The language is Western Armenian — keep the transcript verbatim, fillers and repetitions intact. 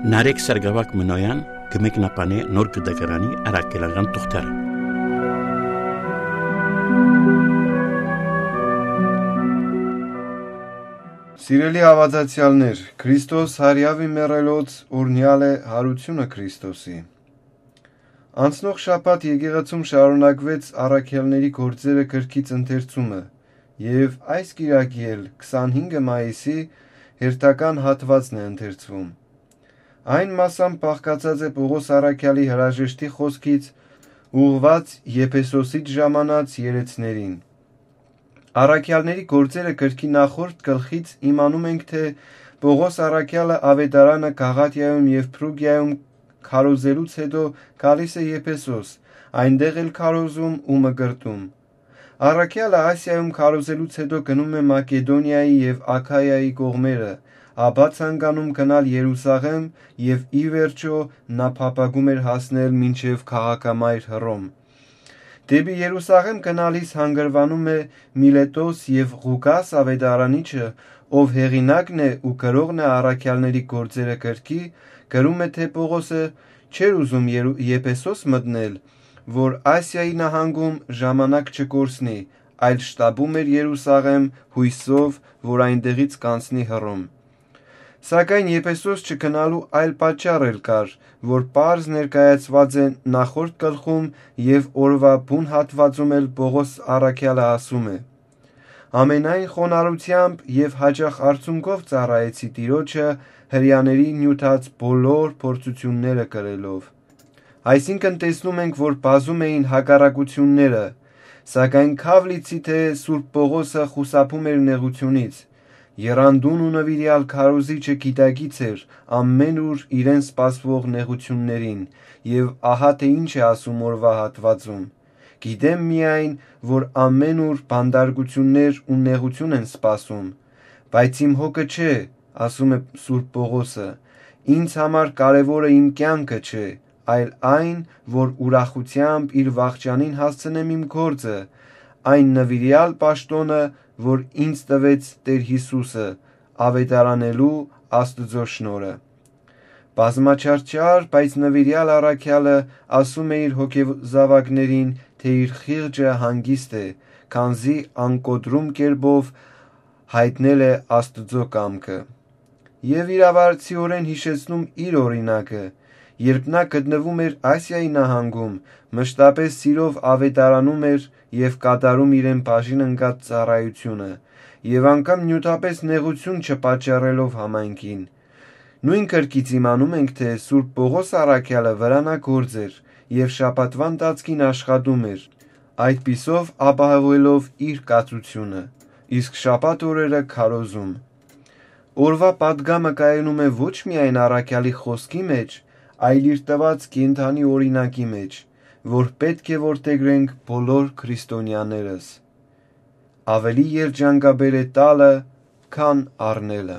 Նարեկ Սարգսակ Մնոյան կը մեկնաբանէ Նոր Կտակարանի առաքելական թուղթերը։ Սիրելի հաւատացեալներ, Քրիստոս հարիաւի մեռելոց օրհնեալ է յարութիւնը Քրիստոսի։ Անցնող շաբաթ եկեղեցում շարունակուեց առաքելների գործերը գրքից ընթերցումը, եւ այս կիրակի էլ, քսանհինգը մայիսի, հերթական հատուածն է ընթերցվում։ Այն մասամբ բաղկացած է Պողոս առաքեալի հրաժեշտի խօսքից, ուղղուած Եփեսոսից ժամանած երեցներին։ Առաքեալների գործերը գրքի նախորդ գլխից իմանում ենք, թէ Պողոս առաքեալը աւետարանը Գաղատիայում եւ Փրուկիայում քարոզելուց յետոյ գալիս է Եփեսոս, այնտեղ էլ քարոզում ու մկրտում։ Առաքեալը Ասիայում քարոզելուց յետոյ գնում է Մակեդոնիայի եւ Աքայայի կողմերը, ապա ցանկանում գնալ Երուսաղէմ, եւ ի վերջոյ նա փափագում էր հասնել մինչեւ քաղաքամայր Հռոմ։ Դէպի Երուսաղէմ գնալիս հանգրուանում է Միլետոս եւ Ղուկաս աւետարանիչը, ով հեղինակն է ու գրողն է առաքեալների գործերը գրքի, գրում է, թէ Պողոսը չէր ուզում Երու-, Եփեսոս մտնել, որ Ասիայի նահանգում ժամանակ չկորսնի, այլ շտապում էր Երուսաղէմ՝ յոյսով, որ այնտեղից կանցնի Հռոմ։ Սակայն Եփեսոս չգնալու այլ պատճառ էլ կար, որ պարզ ներկայացուած է նախորդ գլխում, եւ օրուայ բուն հատուածում էլ Պողոս առաքեալը ասում է. «Ամենայն խոնարհութեամբ եւ յաճախ արցունքով ծառայեցի Տիրոջը՝ Հրեաների նիւթած բոլոր փորձութիւնները կրելով»։ Այսինքն՝ տեսնում ենք, որ բազում էին հակառակութիւնները, սակայն քաւ լիցի թէ Սուրբ Պողոսը խուսափում էր նեղութիւնից։ Եռանդուն ու նուիրեալ քարոզիչը գիտակից էր ամէն ուր իրեն սպասուող նեղութիւններին, եւ ահա թէ ինչ է ասում օրուայ հատուածում. «Գիտեմ միայն, որ ամէն ուր բանտարկութիւններ ու նեղութիւն են սպասում, բայց իմ հոգը չէ», ասում է Սուրբ Պողոսը, «ինձ համար կարեւորը իմ կեանքը չէ, այլ այն, որ ուրախութեամբ իր վախճանին հասցնեմ իմ գործը, այն նուիրեալ պաշտօնը, որ ինձ տուեց Տէր Յիսուսը, աւետարանելու Աստուծոյ շնորհը»։ Բազմաչարչար, բայց նուիրեալ առաքեալը ասում է իր հոգեզաւակներին, թէ իր խիղճը հանգիստ է, քանզի անկոտրում կերպով յայտնել է Աստուծոյ կամքը։ Եւ իրաւարձիօրէն յիշեցնում իր օրինակը, երբ նա գտնվում էր Ասիայի նահանգում, մշտապես սիրով աւետարանում էր եւ կատարում իրեն բաժին ընկած ծառայութիւնը, եւ անգամ նիւթապէս նեղութիւն չպատճառելով համայնքին։ Նոյն գրքից իմանում ենք, թէ Սուրբ Պողոս առաքեալը վրանագործ էր եւ շաբաթուան ընթացքին աշխատում էր, այդպիսով ապահովելով իր կացութիւնը, իսկ շաբաթ օրերը՝ քարոզում։ Օրուայ պատգամը կայանում է ոչ միայն առաքեալի խօսքի մէջ, այլ իր տուած կենդանի օրինակի մէջ, որ պէտք է որդեգրենք բոլոր քրիստոնեաներս։ Աւելի երջանկաբեր է տալը, քան առնելը։